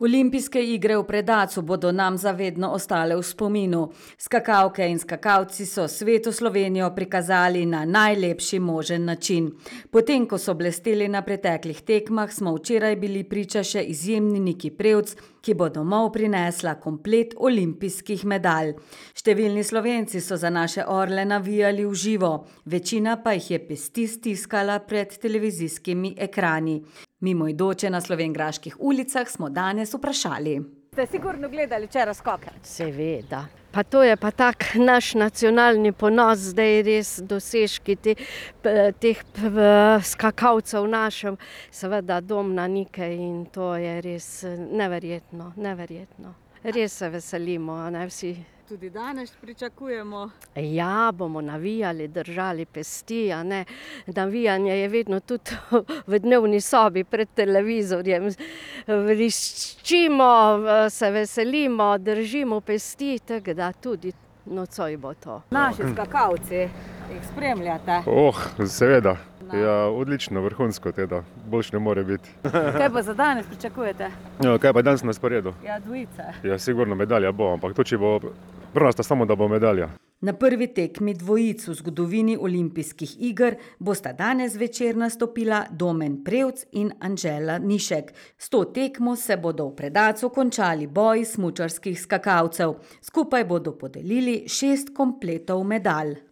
Olimpijske igre v Predacu bodo nam zavedno ostale v spominu. Skakalke in skakalci so svetu Slovenijo prikazali na najlepši možen način. Potem, ko so blesteli na preteklih tekmah, smo včeraj bili priča še izjemni Niki Prevc, ki bo domov prinesla komplet olimpijskih medalj. Številni Slovenci so za naše orle navijali v živo, večina pa jih je pesti stiskala pred televizijskimi ekrani. Mimoidoče na slovenjgraških ulicah smo danes vprašali. Ste sigurno gledali včeraj skoke? Seveda. Pa to je pa tak naš nacionalni ponos, zdaj res dosežki teh skakalcev našem, seveda dom na Nike in to je res neverjetno, neverjetno. Res se veselimo, ne vsi. Tudi danes pričakujemo. Ja, bomo navijali, držali pesti, a ne. Navijanje je vedno tudi v dnevni sobi pred televizorjem. Vriščimo, se veselimo, držimo pesti, tako da tudi nocoj bo to. Naši skakalci, jih spremljate? Seveda. Ja, odlično, vrhunsko teda. Boljše ne more biti. Kaj pa za danes pričakujete? Ja, kaj pa danes na sporedu? Ja, dvojice. Ja, sigurno medalja bo, ampak to, če bo prvenstvo, samo da bo medalja. Na prvi tekmi dvojic v zgodovini olimpijskih iger bosta danes zvečer nastopila Domen Prevc in Anžela Nišek. S to tekmo se bodo v Predacu končali boji smučarskih skakalcev. Skupaj bodo podelili 6 kompletov medalj.